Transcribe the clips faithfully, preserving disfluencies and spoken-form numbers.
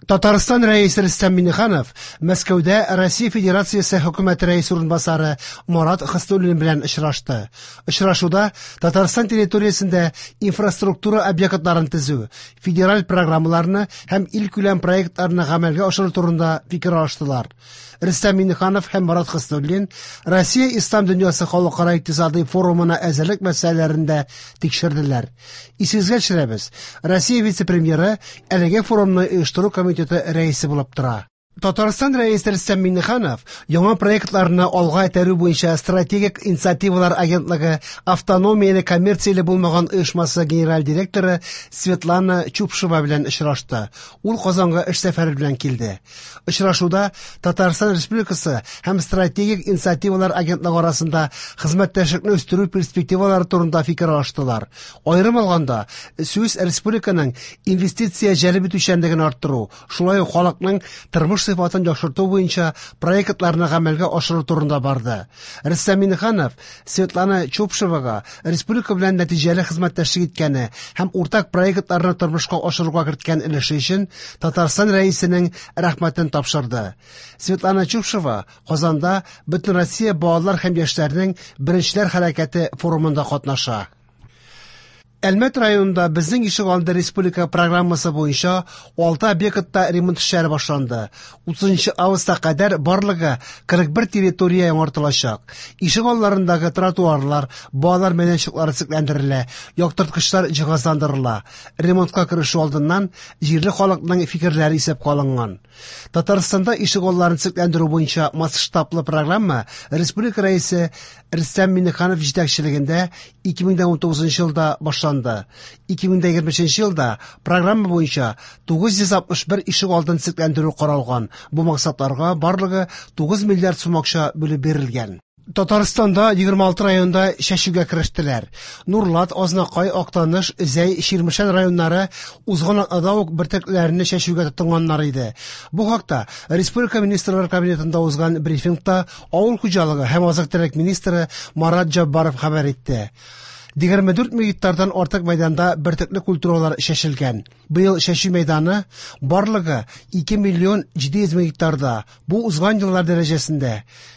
Татарстан Рәисе Рөстәм Миңнеханов Мәскәүдә Россия Федерациясе Хөкүмәте Рәисе урынбасары Марат Хөснуллин белән очрашты. Очрашуда Татарстан территориясендә инфраструктура объектларын төзү, федераль программаларны һәм илкүләм проектларны гамәлгә ашыру турында фикер алыштылар. Рөстәм Миңнеханов һәм Марат Хөснуллин Россия Ислам дөньясы халыкара икътисадый форумына әзерлек мәсьәләләрен дә тикшерделәр. Исегезгә төшерәбез, Россия вице-премьеры әлеге форумны оештыру комитеты рәисе булып тора. Татарстан Рәисе Рөстәм Миңнеханов яңа проектларны алга этәрү буенча Стратегик инициативалар агентлыгы автономияле коммерцияле булмаган оешмасы генераль директоры Светлана Чупшева белән очрашты. Ул Казанга эш сәфәре белән килде. Очрашуда Татарстан Республикасы һәм Стратегик инициативалар агентлыгы арасында хезмәттәшлекне үстерү перспективалары турында фикер алыштылар. Аерым алганда, сүз республиканың инвестиция җәлеп итүчәнлеген арттыру, шулай ук халыкның тормыш сыйфатын яхшырту буенча проектларны гамәлгә ашыру турында барды. Рөстәм Миңнеханов Светлана Чупшевага республика белән нәтиҗәле хезмәттәшлек иткәне һәм уртак проектларны тормышка ашыруга керткән өлеше өчен Татарстан Рәисенең рәхмәтен тапшырды. Светлана Чупшева Казанда Бөтенроссия балалар һәм яшьләрнең Беренчеләр хәрәкәте форумында катнаша. Әлмәт районында Безнең ишегалды республика программасы буенча алты объектта ремонт эшләре башланды. утызынчы августка кадәр барлыгы кырык бер территория яңартылачак. Ишегалларындагы тротуарлар, балалар мәйданчыклары төзекләндерелә, яктырткычлар җиһазландырыла. Ремонтка керешү алдыннан җирле халыкның фикерләре исәпкә алынган. Татарстанда ишегалларын төзекләндерү буенча масштаблы программа республика Рәисе Рөстәм Миңнеханов җитәкчелегендә ике мең унтугызынчы елда башланды. ике мең егерме өченче елда программа буенча тугыз йөз алтмыш бер ишегалдын төзекләндерү каралган. Бу максатларга барлыгы тугыз миллиард сум акча бүлеп бирелгән. Татарстанда егерме алты районда чәчүгә керештеләр. Нурлат, Азнакай, Актаныш, Зәй, Чирмешән районнары узган атнада ук бөртекләрне чәчүгә тотынганнар иде. Бу хакта Республика Министрлар Кабинетында узган брифингта Авыл хуҗалыгы һәм азык-төлек министры Марат Җаббаров хәбәр итте. Егерме дүрт мең гектардан артык мәйданда бөртекле культуралар чәчелгән. Быел чәчү мәйданы барлыгы ике миллион җиде йөз мең гектарда. Бу узган еллар дәрәҗәсендә.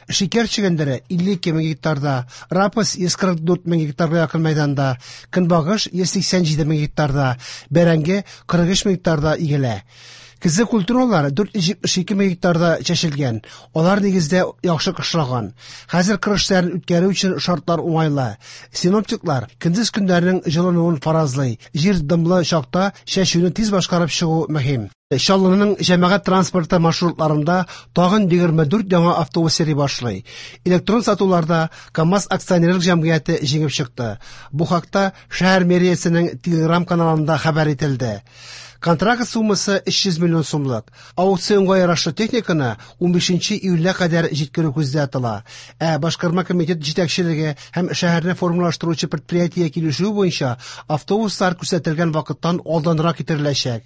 Шикәр чөгендере илле ике мең гектарда, рапс йөз кырык дүрт мең гектарга якын мәйданда, көнбагыш йөз сиксән җиде мең гектарда, бәрәңге кырык өч мең гектарда игелә. Көзге культуралар дүрт йөз җитмеш ике мең гектарда чәчелгән. Алар нигездә яхшы кышлаган. Хәзер кыр эшләрен үткәрү өчен шартлар уңайлы. Синоптиклар көндез көннәрнең җылынуын фаразлый. Җир дымлы чакта чәчүне тиз башкарып чыгу мөһим. Чаллының җәмәгать транспорты маршрутларында тагын егерме дүрт яңа автобус йөри башлый. Электрон сатуларда КАМАЗ акционерлык җәмгыяте җиңеп чыкты. Бу хакта шәһәр мэриясенең Телеграм каналында хәбәр ителде. Контракт суммасы өч йөз миллион сумлык. Аукционга ярашлы техниканы унбишенче июльгә кадәр җиткерү күздә тотыла. Ә башкарма комитет җитәкчелеге һәм шәһәрне формалаштыручы предприятие килешүе буенча автобуслар күрсәтелгән вакыттан алданрак китереләчәк.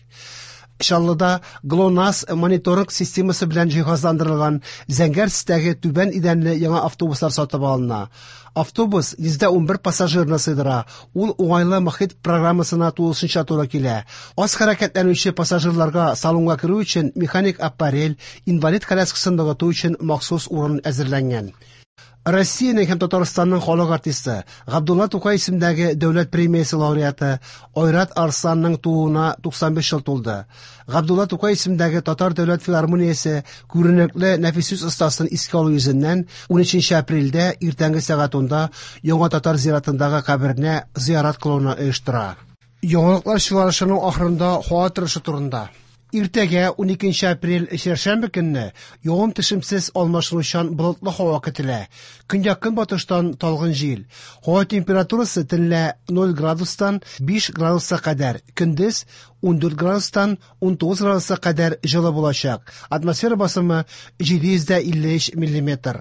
Чаллыда ГЛОНАСС мониторинг системасы белән җиһазландырылган зәңгәр төстәге түбән идәнле яңа автобуслар сатып алына. Автобус йөздә унбер пассажирны сыйдыра. Ул уңайлы мохит программасына тулысынча туры килә. Аз хәрәкәтләнүче пассажирларга салонга керү өчен механик аппарель, инвалид коляскасын ныгыту өчен махсус урын әзерләнгән. Россиянең һәм Татарстанның халык артисты Габдулла Тукай исемендәге дәүләт премиясе лауреаты Айрат Арсланның тууына туксан биш ел тулды. Габдулла Тукай исемендәге Татар дәүләт филармониясе күренекле нәфис сүз остасын искә алу йөзеннән унөченче апрельдә иртәнге сәгать унда Яңа Татар зиратындагы каберенә зиярат кылуны оештыра. Яңалыклар чыгарылышының ахырында һава торышы турында. Иртәгә уникенче апрель чәршәмбе көнне явым төшемсез алмашынучан болытлы һава көтелә. Көньяк-көнбатыштан талгын җил. Һава температурасы төнлә ноль градустан биш градуска кадәр, көндез ундүрт градустан унтугыз градуска кадәр җылы булачак. Атмосфера басымы җиде йөз дә илле өч миллиметр.